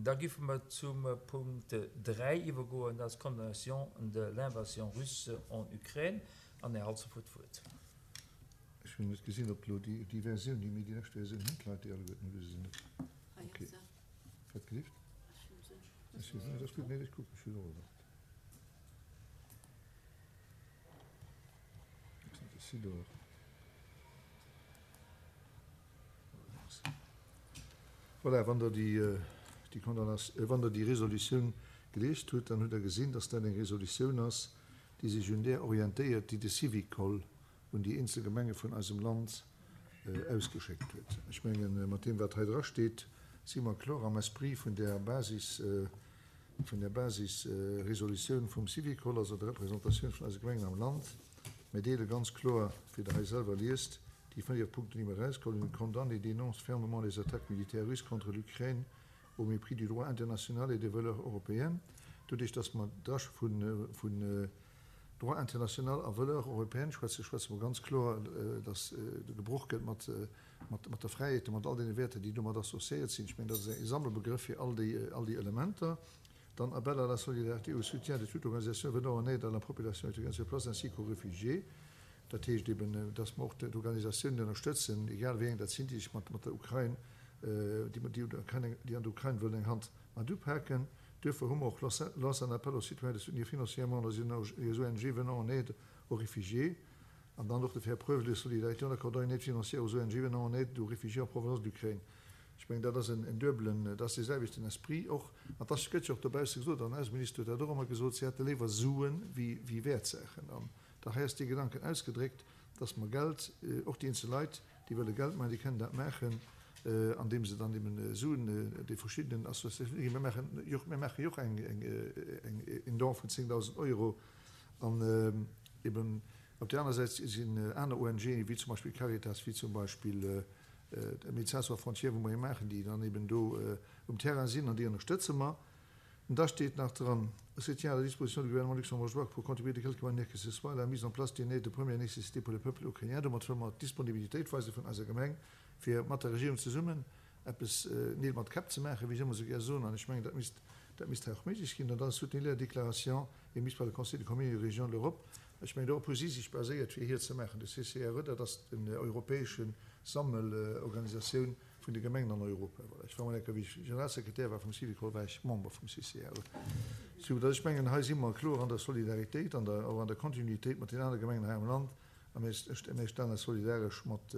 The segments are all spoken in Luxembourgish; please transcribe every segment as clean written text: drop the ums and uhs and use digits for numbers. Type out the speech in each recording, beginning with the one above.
Da giffe mer zum Punkt 3 iwwergoen, dat ass d'Condamnation de l'invasion russe en Ukraine. An Här Halsdorf huet d'Wuert. Ech hunn net gesinn, ob elo déi Versioun, déi mir, déi lescht Versioun hunn d'Leit déi alleguerten, oder hu se se net? Ok. Wat gelift? Ech hu se. Dat ass gutt. Nee, ech kucken, ech hunn och erwaart. Voilà, wann Der déi, déi Condamnation, wann Der déi Resolutioun geliest hutt, dann hutt Der gesinn, dass dat eng Resolutioun ass, déi sech un där orientéiert, déi de Syvicol un déi eenzel Gemenge vun eisem Land ausgeschéckt huet. Ech mengen, mat deem, wat hei drasteet, si mer kloer am Esprit vun där Basis, vun där Basisresolutioun vum Syvicol, also der Représentatioun vun eise Gemengen am Land. Mir deele ganz kloer, wéi Der hei selwer liest, déi 4 Punkten, déi mir erausgeholl hunn, condamne et dénonce fermement les attaques militaires russes contre l'Ukraine au mépris du droit international et des valeurs européennes. Doduerch, dass mer da vun Droit international a Valeurs européennes schwätzen, schwätze mer ganz kloer, dass gebroch gëtt mat mat der Fräiheet a mat all deene Wäerter, déi domat associéiert sinn. Ech mengen, dat ass e Sammelbegrëff fir all déi, all déi Elementer. Dann Appel à la solidarité et au soutien de toute organisation venant en aide à la population ukrainienne sur place ainsi qu'aux réfugiés. Dat heescht eben, dass mer och d'Organisatiounen ënnerstëtzen, egal wéi eng dat sinn, déi sech mat der Ukrain, déi déi an der Ukrain wëllen eng Hand mat upaken. Duerfir hu mer och lance un appel aux citoyens de soutenir financièrement les ONG venant en aide aux réfugiés. An dann och de faire preuve de solidarité en accordant une aide financière aux ONG venant en aide aux réfugiés en provenance d'Ukraine. Ech mengen, dat ass en duebelen, dat ass dee selwechten Esprit och. An dass gëtt jo och dobausse gesot, an den Ausseminister huet dat och ëmmer gesot, si hätte léiwer Sue wéi Wäertsaachen. An da hei ass dee Gedanken ausgedréckt, dass mer Geld, och déi eenzel Leit, déi wëlle Geld maachen, déi kënnen dat maachen, andeem se dann eben Suen de verschiddenen Associatiounen ginn. Mir maachen jo, mir maache jo och eng, en Don vun 10.000 Euro an eben op där aner Säit sinn aner ONGen, wéi zum Beispill d'Caritas, wéi zum Beispill Médecins sans frontières, wou mer ee maachen, déi dann eben do um Terrain sinn an déi ënnerstëtze mer. An da steet nach dran, Se tient à la disposition du Gouvernement luxembourgeois pour contribuer de quelque manière que ce soit à la mise en place d'une aide de première nécessité pour le peuple ukrainien. Domat wëlle mer d'Disponibilitéit weise vun eiser Gemeng, fir mat der Regierung zesummen eppes Neel mat Käpp ze maachen, wéi ech ëmmer esou gär soen. An ech mengen, dat misst, dat misst hei och méiglech ginn. An dann soutenir la déclaration émise par le Conseil des communes et régions de l'Europe. Ech mengen, dorop hu si sech baséiert, fir hir ze maachen. De CCRE, dat ass den europäesche Sammelorganisatioun vun de Gemengen an Europa. Voilà. Ech war mol eng Kéier, wéi ech Generalsekretär war vum Syvicol, war ech Member vum CCRE. Sou datt ech mengen, hei si mer kloer an der Solidaritéit, an der, och an der Kontinuitéit mat den anere Gemengen hei am Land. A mir, mir stellen eis solidaresch mat,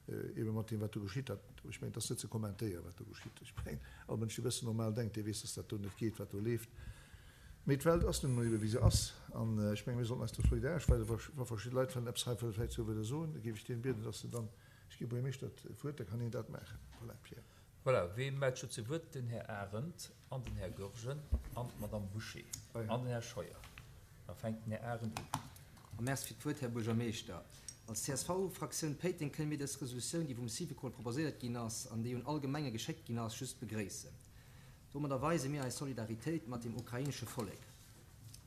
Eebe mat deem, wat do geschitt. Dat, ech mengen, et ass net ze kommentéieren, wat do geschitt. Ech mengen, all Mënsch, dee e bëssen normal denkt, dee weess, dass dat do net geet, wat do leeft. Mee d'Welt ass nun emol eebe wéi se ass. An ech mengen, mir sollten eis do solidaresch weisen. Wa, wa verschidde Leit wëllen eppes hei vläicht sou wëlle soen, da géif ech deenen bieden, dass se dann, ech gi Buergermeeschter d'Wuert, da kann hien dat maachen. Voilà, Pierre. Voilà, wee mellt scho zu Wuert? Den Här Arendt an den Här Goergen an d'Madame Bouché an den Här Scheuer. Da fänkt den Här Arendt un. A Merci fir d'Wuert, Här Buergermeeschter. Als CSV-Fraktioun Péiteng kënne mir dës Resolutioun, déi vum Syvicol proposéiert ginn ass an déi un all Gemenge geschéckt ginn ass, just begréissen. Domadder weise mir eis Solidaritéit mat dem ukrainesche Vollek,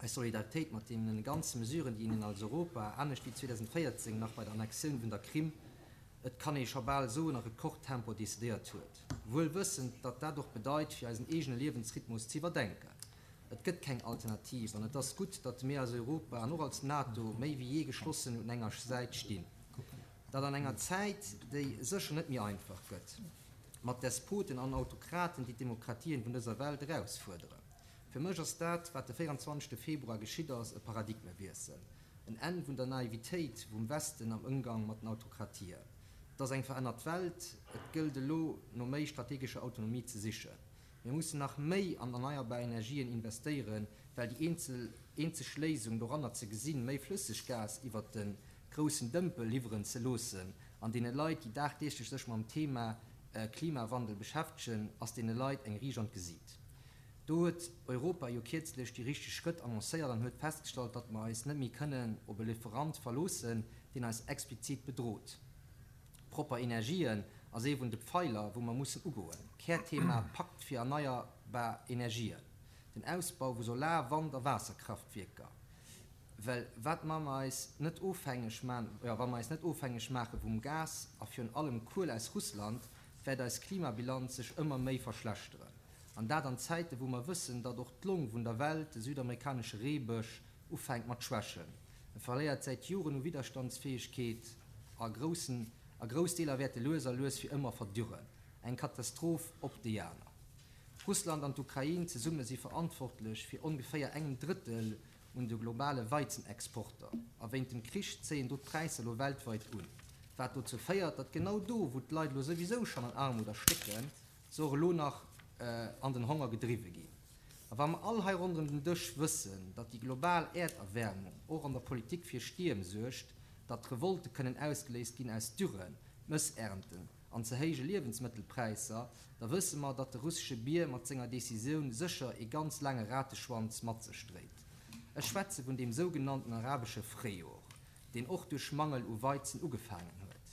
eis Solidaritéit mat deenen ganze Mesuren, déi een als Europa, anescht wéi 2014 nach bei der Annexioun vun der Krim, et kann ee scho bal soen, a Rekordtempo decidéiert huet, wuel wëssend, datt dat och bedeit, fir eisen eegene Liewensrhythmus ze iwwerdenken. Et gëtt keng Alternativ an et ass gutt, datt mir als Europa an och als NATO méi wéi jee geschlossen un enger Säit stinn. Dat an enger Zäit, déi sécher net méi einfach gëtt, mat Despoten an Autokraten, déi d'Demokratien vun dëser Welt erausfuerderen. Fir mech ass dat, wat de 24. Februar geschitt ass, e Paradigmewiessel, en Enn vun der Naivitéit vum Westen am Ëmgang mat den Autokratien. Et ass eng verännert Welt, et gëllt elo no méi strategescher Autonomie ze sichen. Mir mussen nach méi an erneierbar Energien investéieren, well déi eenzel eenzeg Léisung doranner ze gesinn, méi Flësseggas iwwert de groussen Dëmpel liwweren ze loossen an deene Leit, déi dagdeeglech sech mam Thema Klimawandel beschäftegen, ass deene Leit eng riicht an d'Gesiit. Do huet Europa jo kierzlech déi richteg Schrëtt annoncéiert an huet festgestallt, datt mer eis net méi kënnen op e Lieferant verloossen, deen eis explizit bedrot. Propper Energien ass ee vun de Pfeiler, wou mer mussen ugoen. Kärthema Pakt fir erneierbar Energien, den Ausbau vu Solar-, Wand a Waasserkraftwierker. Well wat mer eis net ofhängeg man, jo, wa mer eis net ofhängeg maache vum Gas a virun allem Kuel aus Russland, wäert eis Klimabilanz sech ëmmer méi verschlechteren. An dat an Zäiten, wou mer wëssen, datt och d'Long vun der Welt, de südamerikanesche Reebësch, ufänkt mat schwächen. E verléiert säit Joren u Widderstandsfäegkeet a groussen a grouss Deeler wäerte lues a lues fir ëmmer verdürren. Eng Katastroph op déi aner. Russland an d'Ukrain zesumme si verantwortlech fir ongeféier engem Drëttel un de globale Weizenexporter. A wéint dem Krich zéien do d'Präisser elo weltweit un. Wat dozou féiert, datt genau do, wou d'Leit elo souwisou schonn an Armut erstécken, se och elo nach an den Honger gedriwwe ginn. A wa mer all hei ronderëm den Dësch wëssen, datt déi global Äerderwäermung och an der Politik fir Stierm suergt, datt Revolte kënnen ausgeléist ginn aus Dürren, Mëssernten an ze héije Liewensmëttelpräisser, da wësse mer, datt de russesche Bier mat senger Decisioun sécher ee ganz laange Rateschwanz mat sech dréit. Ech schwätze vun deem sougenannten arabesche Fréijor, deen och duerch Mangel u Weizen ugefaangen huet.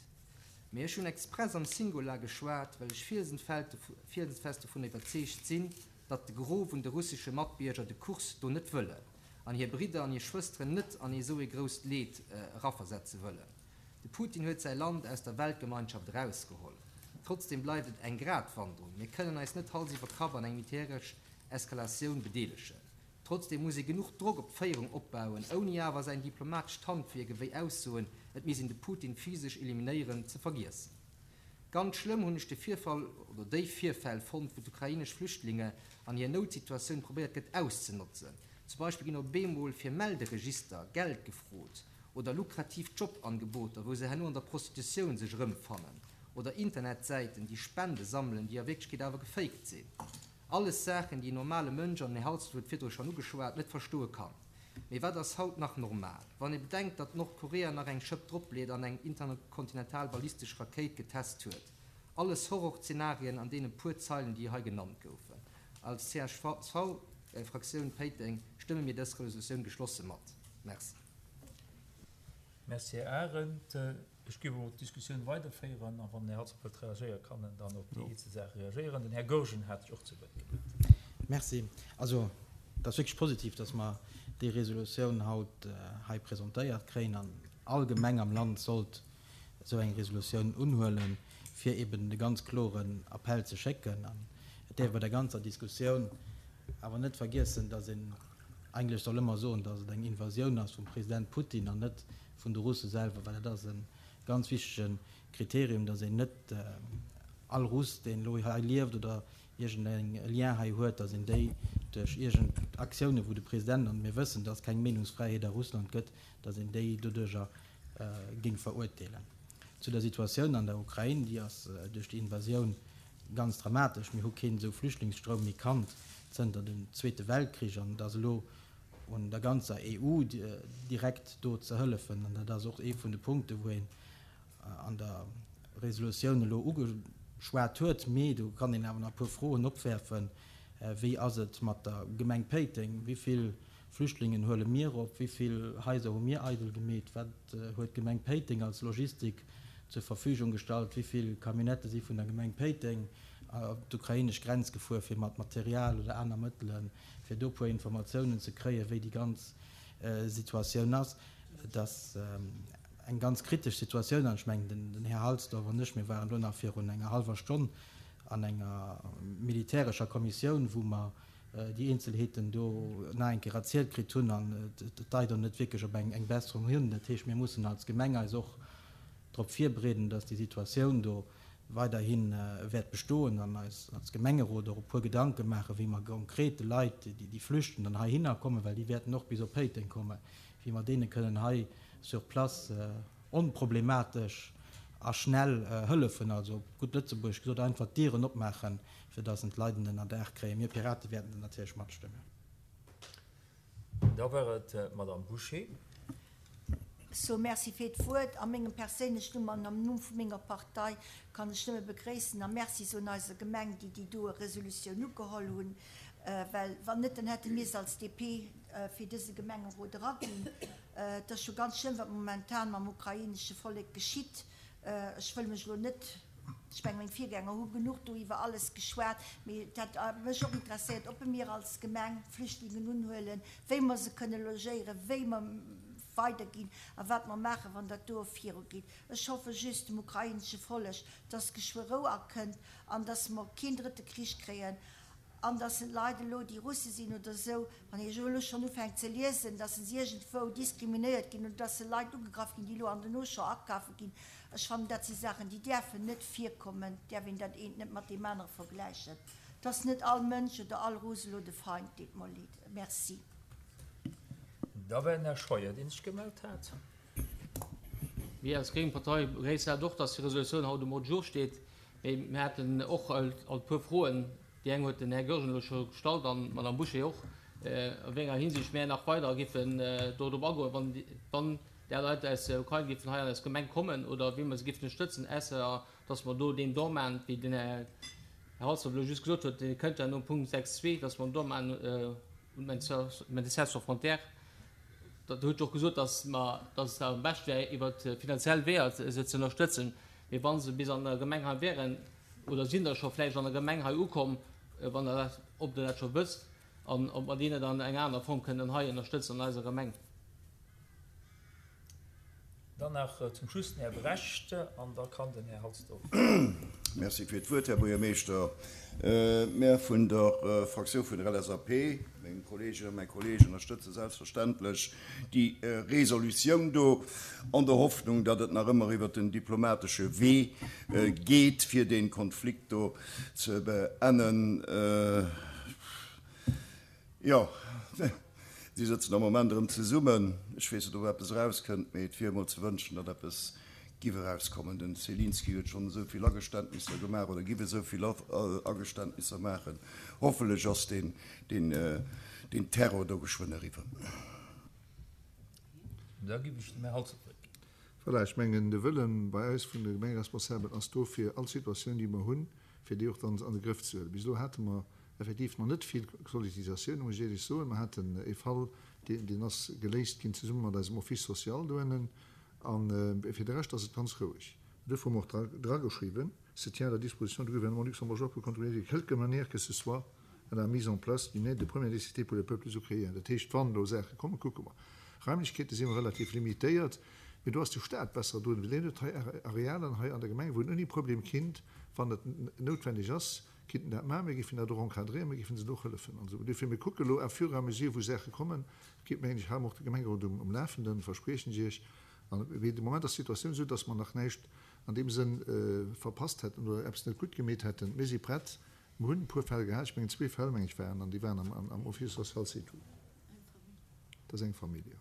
Mee ech hunn express am Singular geschwat, well ech fielsenfest dovun iwwerzeegt sinn, datt de Gros vun de russesche Matbierger de Kurs do net wëllen an hir Bridder an hir Schwësteren net an ee sou ee grousst Leed eraversetze wëllen. De Putin huet säi Land aus der Weltgemeinschaft erausgeholl. Trotzdem bleift et eng Gratwanderung. Mir kënnen eis net Hals iwwer Kapp an eng militäresch Eskalatioun bedeelegen. Trotzdem muss ee genuch Drock op d'Féierung opbauen, ouni awer säin diplomatescht Handwierk ewéi Aussoen, et misst een de Putin physesch eliminéieren, ze vergiessen. Ganz schlëmm hunn ech de Virfall oder déi Virfäll fonnt, wou d'ukrainesch Flüchtlinge an hir Noutsituatioun probéiert gëtt auszenotzen. Zum Beispill ginn op eemol fir Melderegister Geld gefrot oder lukrativ Jobangeboter, wou se herno an der Prostitutioun sech erëmfannen oder Internetsäiten, déi Spende sammelen, déi a Wierklechkeet awer gefaked sinn. Alles Saachen, déi en normale Mënsch, an den Här Halsdorf huet virdru schonn ugeschwat, net verstoe kann. Mee wat ass haut nach normal? Wann ee bedenkt, datt Nordkorea nach eng Schëpp dropleet an eng interkontinental ballistesch Rakéit getest huet. Alles Horrorzenarien an deene puer Zeilen, déi hei genannt goufen. Als CSV-Fraktioun Péiteng stëmme mir dës Resolutioun geschlosse mat. Merci. Merci, Här Arendt. Ech géif elo d'Diskussioun weiderféieren, a wann den Här Halsdorf wëllt reagéieren, kann en dann op déi eenzel Saache reagéieren. Den Här Goergen hat sech och zu Wuert gemellt. Merci. Also, et ass wierklech positiv, dass mer déi Resolutioun haut hei presentéiert kréien. An all Gemeng am Land sollt esou eng Resolutioun unhuelen, fir eben de ganz kloren Appell ze schécken. An et däerf bei der ganzer Diskussioun awer net vergiessen, dass een eigentlech soll ëmmer soen, dass et eng Invasioun ass vum President Putin an net vun de Russe selwer, well dat ass e ganz wichtege Kriterium, datt een net all Russ, deen elo hei lieft oder iergend eng Lien hei huet, datt een déi duerch iergend Aktiounen, wou de President, an mir wëssen, datt et keng Meenungsfräiheet a Russland gëtt, datt een déi doduerjer géing verurteelen. Zu der Situatioun an der Ukrain, déi ass duerch déi Invasioun ganz dramatesch. Mir hu keen esou Flüchtlingsstroum méi kannt zënter dem Zweete Weltkrich an et ass elo un der ganzer EU direkt do ze hëllefen. An dat ass och ee vun de Punkten, wou een an der Resolutioun elo ugeschwat huet. Mee do kann een awer nach e puer Froen opwerfen. Wéi ass et mat der Gemeng Péiteng? Wéi vill Flüchtlingen huele mir op? Wéi vill Haiser hu mir eidel gemeet? Wat huet d'Gemeng Péiteng als Logistik zur Verfügung gestallt? Wéi vill Camionnettë si vun der Gemeng Péiteng op d'ukrainesch Grenz gefuer, fir mat Material oder aner Mëttelen fir do e puer Informatiounen ze kréien, wéi déi ganz Situatioun ass. Et ass eng ganz kritesch Situatioun an ech mengen, den Här Halsdorf an ech, mir waren elo nach virun enger hallwer Stonn an enger militärescher Kommissioun, wou mer déi Eenzelheeten do nach eng Kéier erzielt kritt hunn an et deit och net wierklech op eng Besserung hin. Dat heescht, mir mussen als Gemeng eis och drop virbereeden, dass déi Situatioun do weiderhi wäert bestoen an eis als Gemengerot och e puer Gedanke maachen, wéi mer konkret de Leit, déi flüchten, dann heihinner kommen, well déi wäerten och bis op Péiteng kommen, wéi mer deene kënnen hei sur place onproblematesch a schnell hëllefen, also op gutt Lëtzebuergesch gesot, einfach d'Dieren opmaachen, fir dass en d'Leit en Ënnerdaach kréien. Mir Pirate wäerten dat natierlech matstëmmen. Da war et d'Madame Bouché. So, Merci fir d'Wuert. A mengem perséinlechen Numm an am Numm vu menger Partei kann ech nëmme begréissen a Merci soen eiser Gemeng, déi déi doe Resolutioun ugeholl hunn, well wann net, dann hätte mir se als DP fir dëse Gemengerot eraginn. Et ass scho ganz schlëmm, wat momentan mam ukrainesche Vollek geschitt. Ech wëll mech elo net, ech mengen, meng Virgänger hu genuch do iwwer alles geschwat, mee et hätt mech och interesséiert, ob mir als Gemeng Flüchtlingen unhuelen, wéi mer se kënne logéieren, wéi mer weiderginn a wat mer maachen, wann dat do virugeet. Ech hoffe just dem ukrainesche Vollek, dass geschwë Rou akënnt an dass mer keen drëtte Krich kréien. An dass en d'Leit elo, déi Russe sinn oder esou, wann ee elo schonn ufänkt ze liesen, dass se iergendwou diskriminéiert ginn oder dass se Leit ugegraff ginn, déi elo an den Auchan akafe ginn, ech fannen, dat si Saachen, déi däerfen net virkommen. Et däerf een dat eent net mat deem anere vergläichen. Et ass net all Mënsch oder all Russ elo de Feind. Deet mer leed. Merci. Da war den Här Scheuer, dee sech gemellt hat. Mir als gréng Partei begréissen dat och, dass déi Resolutioun haut um Ordre du jour steet. Mee mir haten och alt e puer Froen. Déi eng huet den Här Goergen elo scho gestallt an d'Madame Bouché och, a wéi enger Hinsicht mär nach weider giffen do drop agoen, wann, wann där Leit aus der Ukrain giffen hei an eis Gemeng kommen oder wéi mer se giffen ënnerstëtzen, ausser dass mer do deen Don maachen, wéi den Här Halsdorf elo just gesot huet, dee kënnt ja nom Punkt 6 zwee, dass mer en Don maachen un d'Médecins sans frontières. Dat huet jo och gesot, dass mer, dass et am beschte wär, iwwer finanziell Weeër se ze ënnerstëtzen. Mee wa se bis an der Gemeng hei wären, oder sinn der scho vläicht an der Gemeng hei ukomm, wann Der dat, ob Der dat scho wësst an ob mer déi net an enger aner Form kënnen hei ënnerstëtzen an eiser Gemeng. Dann nach zum Schluss den Här Brecht an da kann den Här Halsdorf. Merci fir d'Wuert, Här Buergermeeschter. Mär vun der Fraktioun vun der LSAP, meng Kolleeginnen a mäi Kolleeg, ënnerstëtze selbstverständlech déi Resolutioun do, an der Hoffnung, datt et nach ëmmer iwwert den diplomatesche Wee geet, fir dee Konflikt do ze beennen. Jo, si sëtzen am Moment erëm zesummen. Ech weess net, ob eppes erauskënnt, mee et wier emol ze wënschen, datt eppes giff erauskommen. Den Zelinski huet schonn esou vill Ageständnisser gemaach oder giff esou vill Ageständnisser maachen. Hoffentlech ass deen Terror do geschwënn eriwwer. Da giff ech dem Här Halsdorf d'Wuert ginn. Voilà, ech mengen, de Wëlle bei eis vun de Gemengeresponsabelen ass do, fir all Situatioun, déi mer hunn, fir déi och dann an de Grëff ze huelen. Bis elo hate mer effektiv nach net vill Sollicitatioune, muss ech éierlech soen. Mer haten ee Fall, deen, deen ass geléist ginn zesumme mat eisem Office social dohennen. A fir de Rescht ass et ganz roueg. Duerfir hu mer och drageschriwwen, se tient à la disposition du Gouvernement luxembourgeois pour contribuer de quelque manière que ce soit à la mise en place d'une aide de première nécessité pour le peuple ukrainien. Dat heescht, wann do Saache kommen, kucke mer. Raimlechkeete si mer relativ limitéiert, mee do ass de Staat besser drun, well deen huet hei Arealen hei an der Gemeng, wou en ouni Problem kinnt, wann et noutwendeg ass, Kinnten dat maachen, mir géifen dat och encadréieren, mir géifen se do och hëllefen an esou. Duerfir, mir kucke elo à fur et à mesure, wou Saache kommen, geet, mengen ech, hale mer och de Gemengerot um um Lafenden, verspriechen ech Iech. An, mee de Moment ass d'Situatioun esou, dass mer nach näischt an deem Sënn verpasst hätten oder eppes net gutt gemeet hätten. Mir si prett. Mir hunn e puer Fäll gehat, ech mengen zwee Fäll, meng ech, waren, an déi waren am am Office social, c'est tout. Dat ass eng Famill, jo.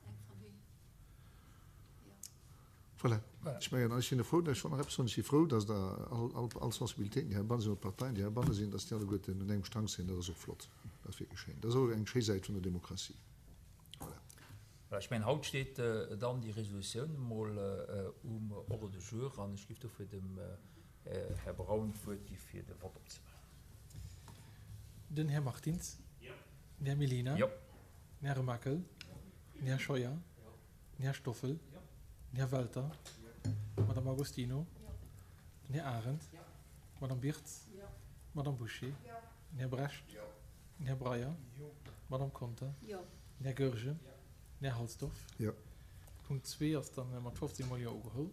Voilà. Ech mengen, ech sinn frou, ech wollt nach eppes soen, ech si frou, datt Der all, all, all Sensibilitéiten, déi heibanne sinn, oder d'Parteien, déi heibanne sinn, datt déi alleguerten un engem Strang zéien. Dat ass och flott. Dat ass wierklech schéin. Dat ass och eng schéi Säit vun der Demokratie. Voilà. Voilà, ech mengen, haut steet dann déi Resolutioun emol um Ordre du jour an ech géif dofir dem Här Braun d'Wuert gi fir de Vott opzemaachen. Den Här Martins. Den Här Mellina. Den Här Remakel. Den Här Scheuer. Den Här Stoffel, den Här Welter, d'Madame Agostino, den Här Arendt, d'Madame Birtz, d'Madame Bouché, den Här Brecht, den Här Breyer, d'Madame Conter, den Här Goergen, den Här Halsdorf. Punkt zwee ass dann mat 15 mol Jo ugeholl.